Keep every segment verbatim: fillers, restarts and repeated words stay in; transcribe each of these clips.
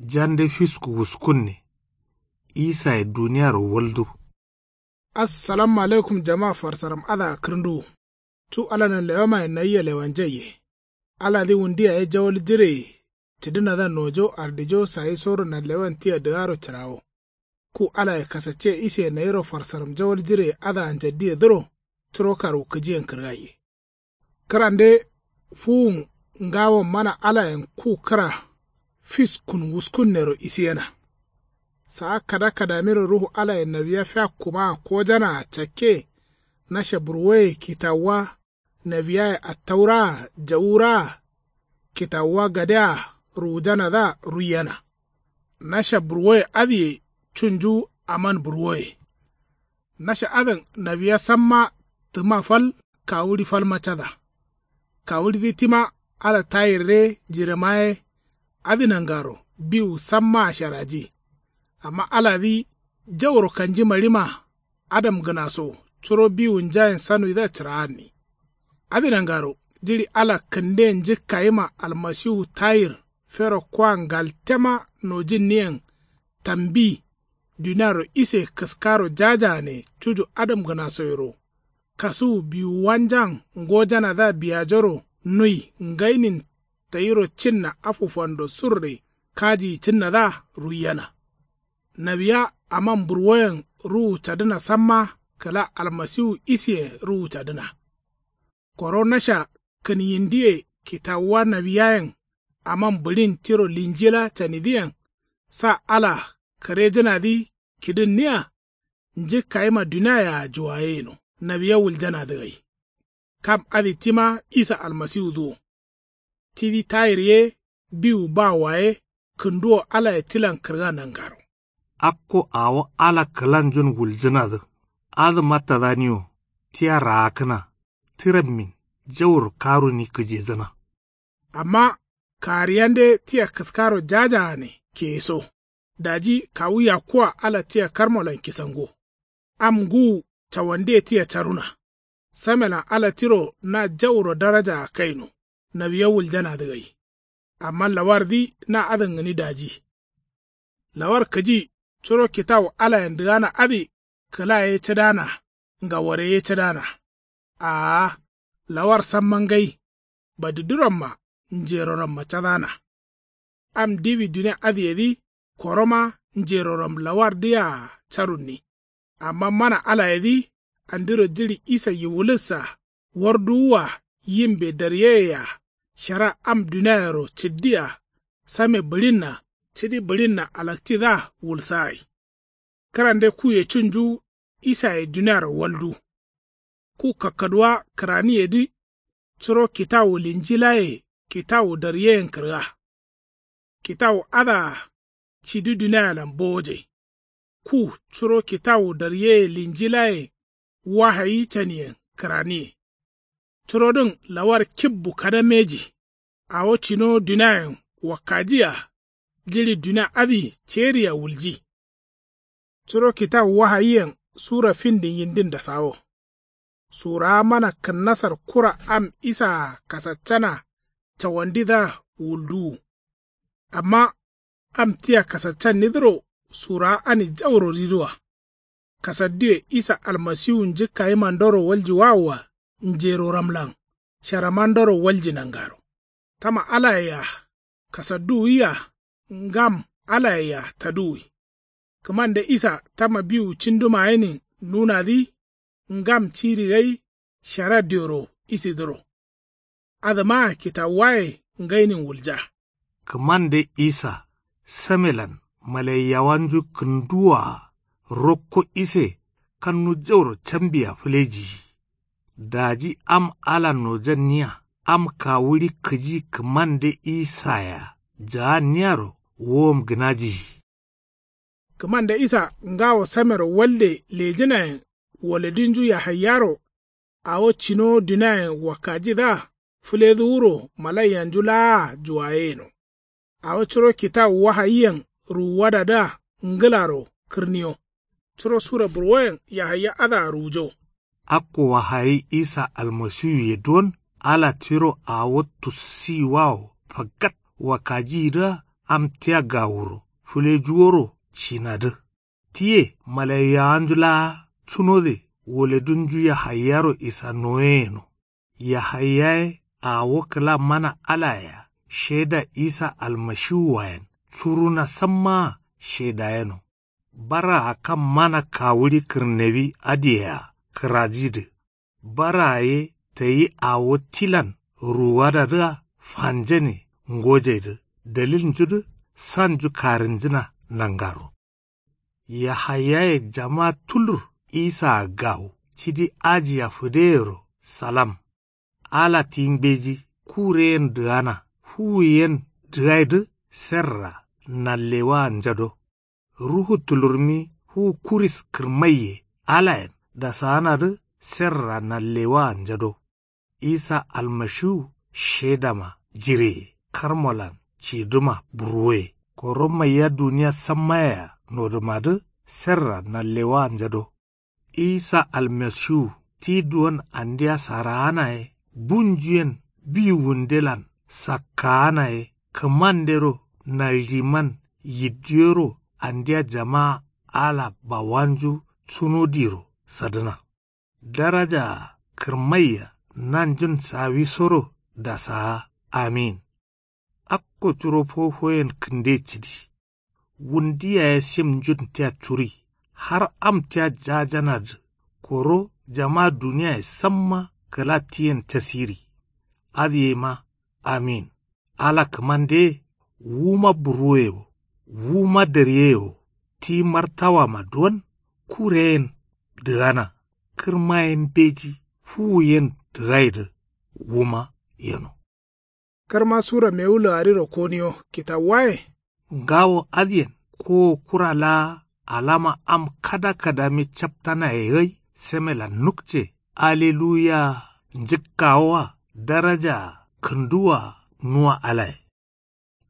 Jande fisku wuskunne. Isaye duniyaro waldu. Assalamu alaikum jama farsaram adǝa kǝrǝnduwu. Cu ala nanlewamaye nayia lewanjaiye. Aladǝ wundu yaye jawal jireye. Cǝdǝnadǝa nojo ardijo sayisoro nanlewan tia dǝgaro cǝrawo. Ku alaye kasacce iseye nayiro farsaram jawal jireye adǝa njaddiyedǝro. Curo karwukǝjiyen kǝrgaiye. Kǝrande fuwun ngawon mana alayen ku kǝra fiskun wuskunnero isiyena. Saa kada kadamiro ruhu alayen nawiya fiakkumaa kojanaa cakke. Nasha burwoye kitawuwa nawiyaye attauraa jawuraa kitawuwa gadea ruwujanadǝa ruiyena. Nasha burwoye adǝye cunju aman burwoye. Nasha adǝn nawiya samma tǝma fal kawuɍi falma cada. Kawuɍidǝ tima ala tayirre jirema ye. Adǝ nangaro biwu sammaa sharaji. Amma aladǝ jauro kanji maɍima adamgǝnaso curo biwunjayen sanuwidǝa cǝraanni. Adǝ nangaro jiɍi ala kǝnden njǝkkayima almasiwu tayir fero kwa ngaltema nojinniyen tambi. Duniaro ise kǝskaro jajaane cuju adamgǝnasoyero. Kasuwu biwuwanjan ngojanadǝa biyajoro nui ngainin tayiro cinna afu fando surre kajiyi cǝnnadǝa ruiyena. Nawiya aman burwoyen ruwu cadǝna samma kǝla almasiwu iseye ruwu cadǝna. Koro nasha kǝnyindiye kitawuwa nawiyayen aman bǝɍin tiro linjila canidǝyen sa ala kǝrejǝnadǝ kidǝnniya. Njǝkkayima duniayea juwayeyeno nawiya wuljanadǝ gai. Kam adǝ tima isa almasiwudǝ wo. Tidǝ tayir ye biwu bawoa ye kǝnduwo alaye tilan kǝrga nangaro. Akko awo ala kǝlanjun wuljǝnadǝ adǝ mattadaniwo tia raakkǝna. Tirammin jauro karuni kǝjedǝna. Amma kariyande tia kǝskaro jajaane keyeso. Daji kawu yakkuwa ala tia karmolan kisango. Am ngǝwu cawandiye tia caruna. Samelan ala tiro na jauro darajaa kaino. Nawiya wuljanadǝ gai. Amma lawardǝ na adǝn gǝni daji. Lawar kǝji curo kitawu alayen dǝgana adǝ kǝla ye cǝdana ngawore ye cǝdana. Aa lawar samma ngai. Badiduramma njeroramma cadana. Am diwi dunia adǝyedǝ koroma njeroram lawardǝyea carunni. Amma mana alayedǝ andiro jiɍi isa yiwulussa warduwua yimbe daryeyea shara am duniayero cǝddia same bǝɍinna cidi bǝɍinna alakcidǝa wulsagai. Kǝrande kuye cunju isaye duniaro waldu. Ku kakkaduwa kǝraniyedǝ curo kitawu linjilaye kitawu daryeyen kǝrga. Kitawu adǝa cidi dunialan bowoje. Ku curo kitawu daryeye linjilaye wahayi caniyen kǝraniye. Curodǝn lawar kibbu kada mbeji. Awo cinowo duniayen wakkajia jiɍi dunia adǝ ceriya wulji. Curo kitawu wahayiyen sura findin yindin dasawo. Surawa mana kǝnnasar kura am isaa kasaccana cawandidǝa wulduwu. Amma am tia kasaccannidǝro surawa ani jauro riduwa. Kasadduwe isa almasiwu njǝkkayimandoro waljiwawua njeroramlan sharamandoro walji nangaro. Tama alayea kasadduwia ngam alayea taduwi. Kǝmande isa tama biwu cinduma yenin nunadǝ ngam ciri gai shara dioro isidǝro. Adǝmaa kitawuwaye ngainin wulja. Kǝmande isa samelan malaiyawanju kǝnduwaa rokko ise kannu jauro cambia fǝlejiyi. Daji am ala nojanniya am kawuɍi kǝji kǝmande isayea jaanniyaro wowom gǝnajiyi. Kǝmande isa ngawo samero walde lejǝnayen waladinju yahaiyaro awo cinowo duniayen wakkajidǝa fǝledǝ wuro malaiyanju laa juwayeyeno. Awo curo kitawu wahayiyen ruwuwadadǝa ngǝlaro kǝrniyo. Curo sura burwoyen yahaya adǝa ruwujo. Akko wahayi isa almasiwuye don ala tiro awo tussiyiwawo fagat wakkajiyidǝa Am tia gawuro fǝlejuworo cinadǝ. Tiye malaiyawanju laa cunode woledunju yahaiyaro isa noye yeno. Yahaiya ye awo kǝla mana alayea sheda isa almashiwuwayen curuna sammaa shedayeno. Baraa kam mana kawuɍi kǝrnewi adǝyea kǝrajidǝ. Baraa ye tayi awo tilan ruwuwadadǝa fanjane ngojaidǝ daliljudǝ sanju karǝnjǝna nangaro. Yahaiyaye jama tulur isaa gawo cidi ajiya fǝdeyero salam. Ala ti mbeji kureyen dǝgana fuwuyen dǝgaidǝ serra nallewaanjado. Ruhu tulurmi fuwu kuris kǝrmaiye alayen dasaanadǝ serra nallewaanjado. Isa almashiwu shedama jireye karmolan ciduma burwoye koro maiya duniya sammayea nodumadǝ serra nallewaanjado. Isa almashiwu ti duwon andia saraana ye bunjuyen biwundelan sakkaana ye kǝmandero naldiman yiddiyoro andia jamaa ala bawanju cunodiro sadǝna. Darajaa kǝrmaiya nanjun sawisoro dasaa. Amin. Akko curo fofoyen kǝnde cǝdi. Wundu yaye simnjun tia curi har am tia jajanadǝ koro jama duniyaye samma kǝla tiyen casiri. Adǝ yema amin. Ala kǝmande wuma burwoye wo wuma dariye wo ti martawama duwon kureyen dǝgana kǝrmaye mbeji fuwuyen dǝgaidǝ wuma yeno. Karma sura mewu laarirokoniyo kitawuwaye. Ngawo adǝyen kowo kura laa alama am kada kadami captanaye gai semelan nukce. Aleluya. Njǝkkawoa darajaa kǝnduwaa nuwa alaye.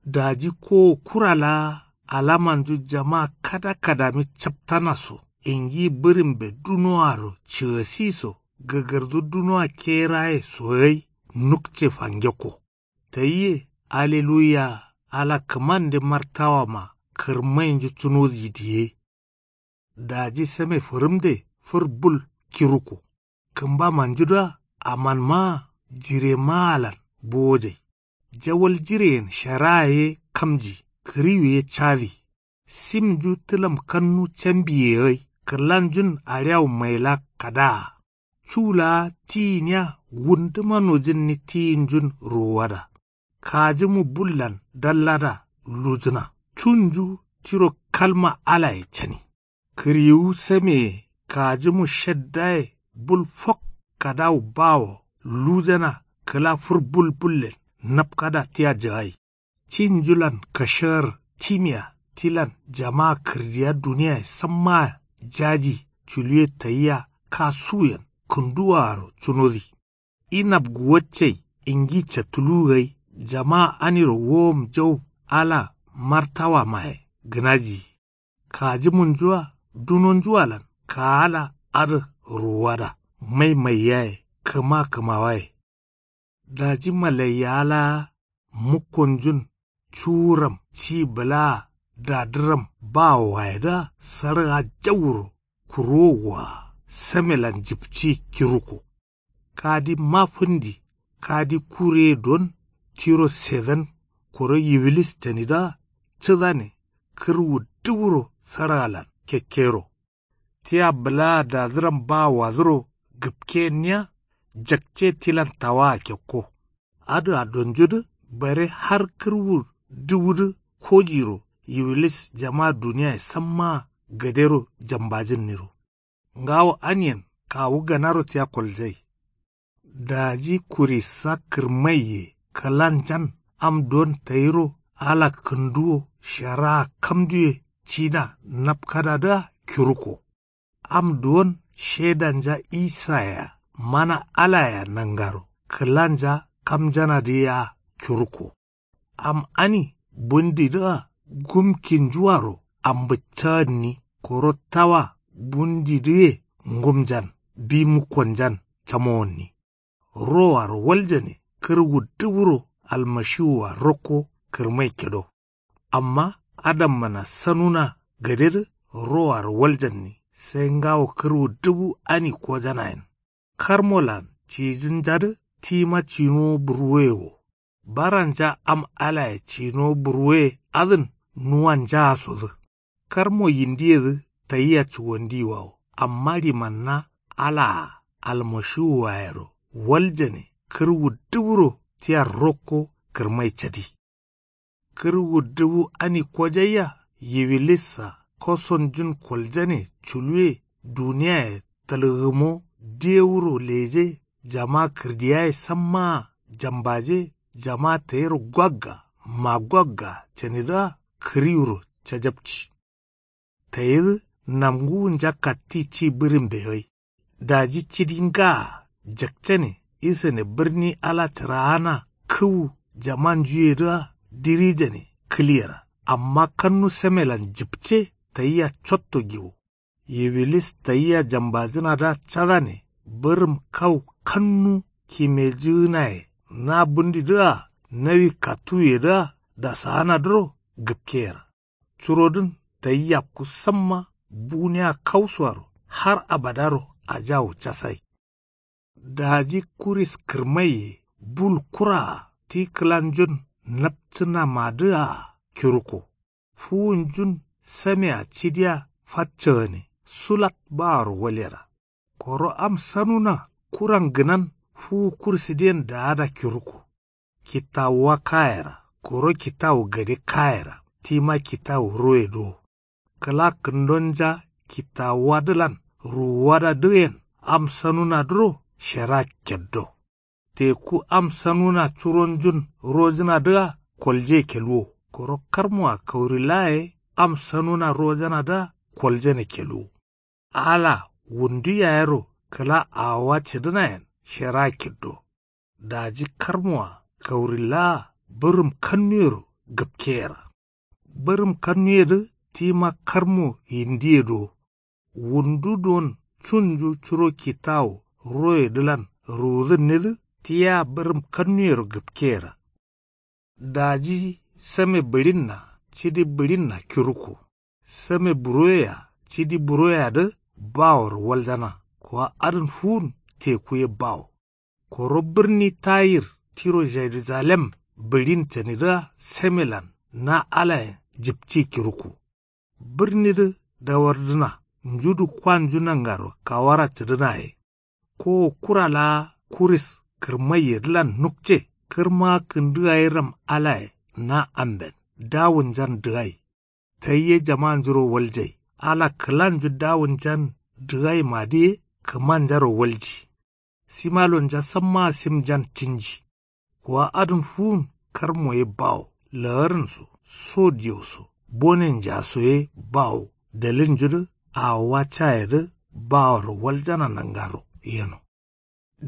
Daji kowo kura laa alamanju jama kada kadami captana so ingi bǝrimbe dunoaro cǝgasi so gǝgǝrdu dunoa keraye so gai nukce fangekko. Tayi ye aleluya. Ala kǝmande martawama kǝrmainju cunodǝ diye. Daji same fǝrǝmde fǝr bul kiruko. Kǝmbamanjudǝa amanmaa jiremaalan bowojai. Jawal jireyen sharaa ye kamji kǝriwu ye cadi. Simnju tǝlam kannu cambiye gai kǝlanjun aɍiyawu maila kadaa. Cu laa tiyiniya wunduma nojǝnni tiyinjun ruwuwada. Kajǝmu bullan dallada lujǝna cunju tiro kalma alaye cani. Kǝriwu sameye kajǝmu shaddaye bul fok kadawu bawo lujana kǝla fǝr bul bullen napkada tia jǝgai. Cinjulan kashar timiya tilan jama kǝrdiya duniyaye sammaa jaji culuwe tayia kasuwuyen kǝnduwaaro cunodi. Inab guwaccai ingi cattuluwu gai jama aniro wowom jau ala martawamaye gǝnajiyi. Kajǝmunjua dunonjualan kaala adǝ ruwuwada mai maiyaye kǝma kǝmawaye. Daji malaiyawa laa mukkonjun cuwuram ci bǝlaa dadǝram bawowayedǝa saɍǝa jauro kurowo waa samelan jipci kiruko. Kadi mafǝndi kadi kureye don tiro sedan koro yiwilis canidǝa cǝdane kǝrwu dǝwuro saɍalan kekkero. Tia bǝlaa dadǝram bawowadǝro gǝpkeyenniya jakce tilan tawaa kekko. Adǝa donjudǝ bare har kǝrwu dǝwudǝ kojiro yiwilis jama duniyaye sammaa gadero jambajǝnniro. Ngawo aniyen kawu ganaro tia koljai. Daji kurisa kǝrmaiye kǝlanjan am duwon tayiro ala kǝnduwo sharaa kamduwe cida napkadadǝa kiruko. Am duwon shedanja isayea mana alayea nangaro kǝlanja kamjanadǝ yea kiruko. Am ani bundidǝa gumkinjuaro ambǝccagǝnni koro tawa bundidǝye ngumjan bi mukkonjan camowonni. Roaro waljane kǝrwu dǝwuro almashiwua rokko kǝrmai kedo. Amma adammana sanuna gadedǝ roaro waljanni sai ngawo kǝrwu dubu ani kojanayen. Karmolan cijǝnjadǝ tima cinowo burwoye wo. Baranja am alaye cinowo burwoye adǝn nuwanjaa sodǝ. Karmo yindiyedǝ tayia cuwandiyiwawo amma limanna alaa almashiwuwayero waljane kǝrwu duburo tia rokko kǝrmai cadi. Kǝrwu dubu ani kojaiya yiwilissa kosonjun koljane culuwe duniyaye talgǝmo dewuro leje jama kǝrdiyaye sammaa jambaje jama tayiro gwagga magwagga canidǝa kǝriwuro cajapci. Tayidǝ namguwunja katti ci bǝrimbe gai. Daji cidi ngaa jakcane isane bǝrni ala cǝraana kǝwu jamanjuyedǝa dirijane kǝliyera. Amma kannu samelan jǝpce tayia cotto giwo. Yiwilis tayia jambajǝnadǝa cadane bǝrǝm kau kannu kimejǝgǝnaye na bundidǝa nawi kattuwuyedǝa dasaanadǝro gǝpkeyera. Curodǝn tayi yakku samma buniya kausoaro har abadaro ajawu casai. Daji kuris kǝrmaiye bul kuraa ti kǝlanjun napcǝnamadǝa kiruko. Fuwunjun samea cidiya faccagane sulat baaro walyera. Koro am sanuna kuran gǝnan fuwu kursǝdiyen daada kiruko. Kitawuwa kayera koro kitawu gade kayera tima kitawu roye do. Kǝla kǝndonja kitawuwadǝlan ruwuwadadǝyen am sanunadǝro shera keddo. Teku am sanuna curonjun rojǝnadǝa kolje kelwo koro karmoa kaurillaye am sanuna rojanadǝa koljane kelwo. Ala wundu yayero kǝla awowa cǝdǝnayen shera kiddo. Daji karmoa kaurillaa bǝrǝm kannuyero gǝpkeyera. Bǝrǝm kannuyedǝ tima karmo yindiye do. Wundu don cunju curo kitawu royedǝlan ruwudǝnnedǝ tia bǝrǝm kannuyero gǝpkeyera. Daji same bǝɍinna cidi bǝɍinna kiruko. Same buroyea cidi buroyeadǝ baworo waljana. Kuwa adǝn fuwun teku ye bawo. Koro bǝrni tayir tiro jeruzalem bǝɍin canidǝa samelan na alayen jipci kiruko. Bǝrnidǝ dawardǝna njudu kwanju nangaro kawara cǝdǝna ye. Kowo kura laa kuris kǝrmaiyedǝlan nukce kǝrma kǝndǝ gairam alaye na amben dawunjan dǝgai. Tayi ye jamanjuro waljai ala kǝlanju dawunjan dǝgaimadǝ ye kǝmanjaro walji. Simalonja sammaa simjan cǝnji. Kuwa adǝn fuwun karmo ye bawo la'arǝn so so diyo so bonenja so ye bawo dalilnjudǝ awowa cayedǝ baworo waljana nangaro yeno.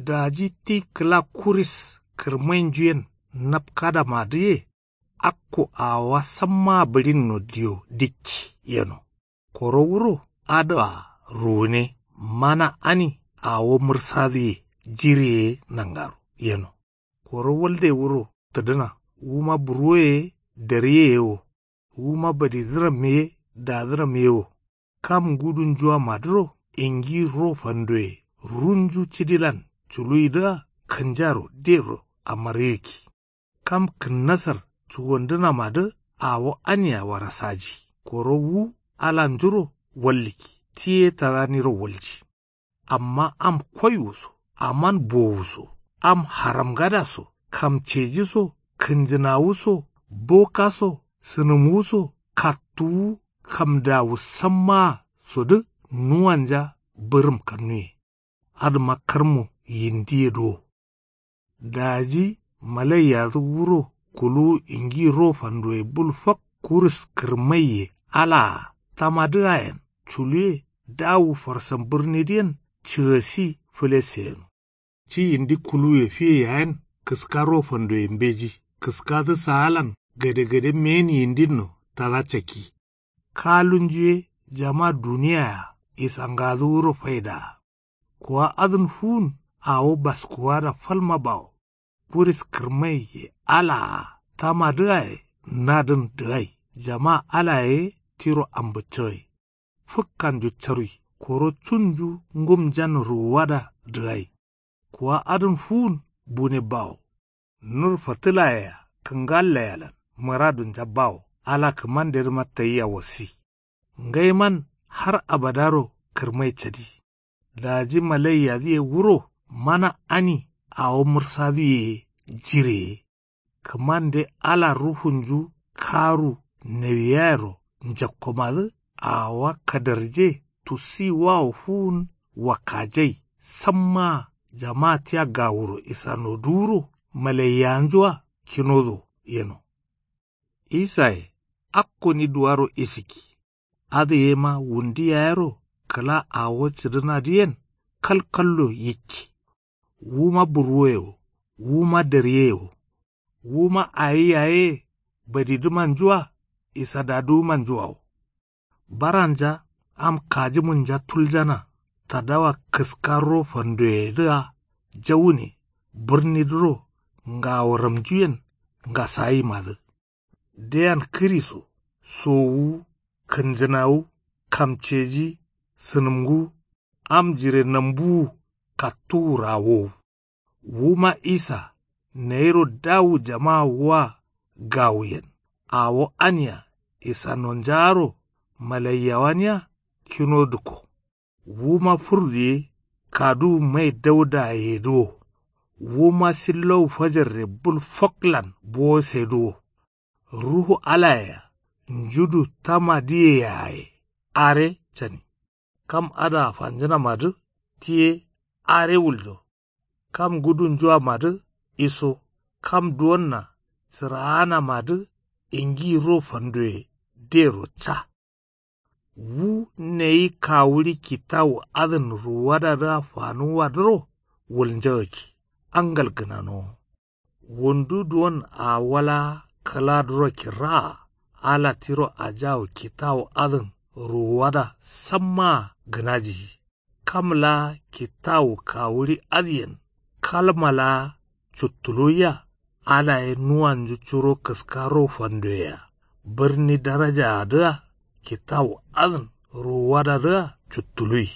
Daji ti kǝla kuris kǝrmainjuyen napkadamadǝ ye akko awowa sammaa bǝɍinno diyo dikki yeno. Koro wuro adǝa ruwune mana ani awo mǝrsadǝ ye jire ye nangaro yeno. Koro walde wuro tǝdǝna wuma burwoye ye dariye ye wo. Wuma badidǝram ye dadǝram ye wo. Kam ngudunjuwamadǝro ingi ro fandoye runju cidilan culuyidǝa kǝnjaro dero amargǝkki. Kam kǝnnasar cuwandǝnamadǝ awo ania warasaji. Koro wu alanjuro wallǝkki ti ye tadaniro walji. Amma am koiwu so aman bowu so am haramgada so kamceji so kǝnjǝnawu so boka so sǝnǝmwu so kattuwu kamdawu sammaa sodǝ nuwanja bǝrǝm kannuye. Adǝma karmo yindiye duwo. Daji malaiyadǝ wuro kuluwu ingi ro fandoye bul fak kuris kǝrmaiye alaa tamadǝayen culuwe dawu farsan bǝrnidǝyen cǝgasi fǝlese yeno. Ci yindi kuluwuye fiye yayen kǝska ro fandoye mbeji kǝskadǝ saalan gadegade meyen yindinno tada cakki. Kalunju ye jama duniyaya isangadǝ wuro faidaa. Kuwa adǝn fuwun awo baskuwada falma bawo. Kuris kǝrmaiye alaa tamadǝaye nadǝn dǝgai. Jama alaye tiro ambǝccǝgai. Fǝkkanju carui koro cunju ngumjan ruwuwada dǝgai. Kuwa adǝn fuwun bune bawo. Nur fǝtǝlayea kǝngallayealan mǝradunja bawo. Ala kǝmandedǝma tayia wasi. Ngaiman har abadaro kǝrmai cadi. Daji malaiyadǝye wuro mana ani awo mǝrsadǝye ye jireye. Kǝmande ala ruhunju karu nawiyayero njakkomadǝ. Awowa kadarje tusiwawo fuwun wakkajai. Sammaa jamaa tia gawuro isanoduwuro malaiyanjua kinodo yeno. Isaye akko ni duwaro isikki. Adǝ yema wundi yayero kǝla awo cǝdǝnadǝ yen kalkallo yikki. Wuma burwoye wo wuma dariye wo. Wuma awi yaye badidǝmanjua isadadǝwumanjua wo. Baranja am kajǝmǝnja tuljana tadawa kǝskarro fandoyedǝa jawune bǝrnidǝro ngawo ramjuyen ngasayimadǝ. Deyan kǝri so sowu kǝnjǝnawu kamceji sǝnǝmngu am jire nambuwu kattuwu rawowu. Wuma isa nayiro dawu jama'a wua gawuyen. Awo ania isanonjaaro malaiyawania kino dǝkko. Wuma furduye kaduwu mai daudayedǝ wo. Wuma sillowu fajarre bul foklan bowosedǝ wo. Ruhu alayea njudu tamadǝye yaye are cani. Kam adǝa fanjǝnamadǝ tiye are wuljo. Kam gudunjuamadǝ iso kam duwonna cǝraanamadǝ ingiro fandoye dero ca. Wu nayi kawuɍi kitawu adǝn ruwuwadadǝa fanuwwadǝro wulnjagakki angal gǝnanowo. Wundu duwon awo laa kǝladǝro kirraa ala tiro ajawu kitawu adǝn ruwuwada sammaa gǝnajiji. Kam laa kitawu kawuɍi adǝyen kalma laa cuttuluwiya. Alaye nuwanju curo kǝskaro fandoyea bǝrni darajaadǝa kitawu adǝn ruwuwadadǝa cuttuluwi.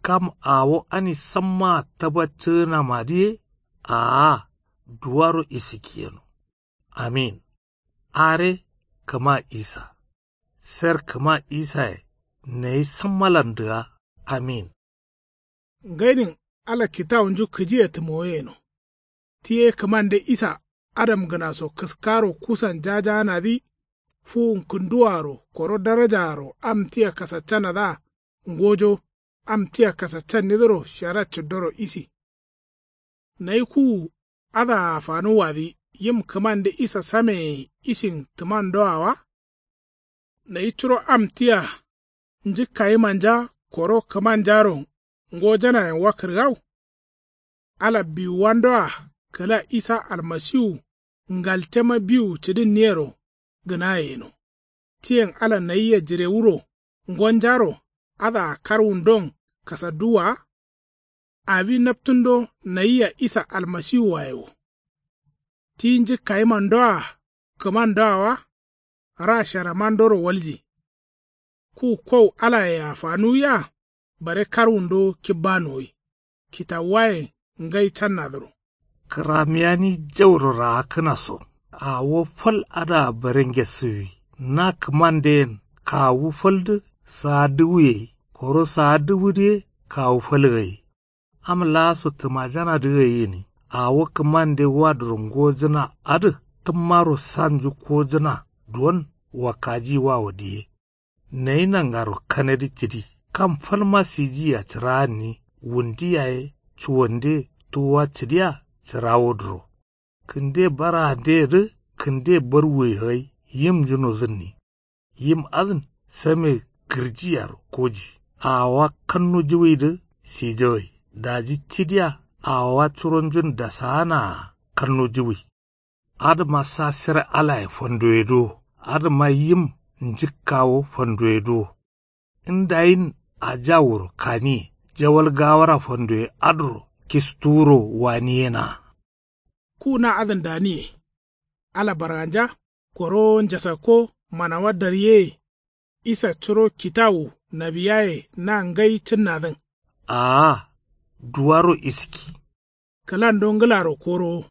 Kam awo ani sammaa tabaccǝgǝnamadǝ ye aa duwaro isikki yeno. Amin. Are kǝma isa. Ser kǝma isaye nayi sammalandǝa. Amin. Ngainin ala kitawunju kǝjiye tǝmoye yeno. Tiye kǝmande isa adamgǝnaso kǝskaro kusan jajaanadǝ fuwun kǝnduwaaro koro darajaaro am tia kasaccanadǝa ngojo am tia kasaccannidǝro shara cǝddoro isi. Nayi kuwu adǝa fanuwwadǝ yim kǝmande isa sameye isin tǝmandoa wa? Nayi curo am tia njǝkkayimanja koro kǝmanjaro ngojanayen wa kǝrgau? Ala biwuwandoa kǝla isa almasiwu ngaltema biwu cǝdǝnniyero gǝnaye yeno. Tiyen ala nayia jirewuro ngonjaro adǝa karwundon kasadduwwa wa? Awi naptundo nayia isa almasiwuwaye wo. Ti njǝkkayimandoa kǝmandoa wa? Ra sharamandoro walji. Ku kow alayea fanuwiya bare karwundo kibbanuwwi. Kitawuwayen ngai cannadǝro. Kǝramiyani jauro raakkǝna so awo fal adǝa bare ngesǝwwi. Na kǝmande yen kawu faldǝ saa dǝwu gai koro saa dǝwudǝ ye kawu fal gai. Am laaso tǝmajanadǝ gai gǝni awo kǝmande waduro ngojǝna adǝ tǝmmaro sanju kojǝna duwon wakkajiwawo diye. Nayi nangaro kanadǝ cǝdi kam falma sijiyea cǝraanni wundi yaye cuwande tuwwa cǝdiya cǝrawodǝro. Kǝnde barandeyedǝ kǝnde barwuye gai yim njunodǝnni. Yim adǝn same gǝrjiyaro koji awowa kannujiwidǝ sijo gai daji cidiya awowa curonjun dasaanaa kannujiwi. Adǝma sa sere alaye fandoyedǝ wo adǝma yim njǝkkawo fandoyedǝ wo. Ndayin ajawuro kaniye jawal gawara fandoye adǝro kistuwuro waniyena. Ku na adǝn daniye ala barganja Korowo njasakko manawa daryeye. Isa curo kitawu nawiyaye na ngai cǝnnadǝn. Aa. Duwaro iski. Kǝlando ngǝlaro korowo.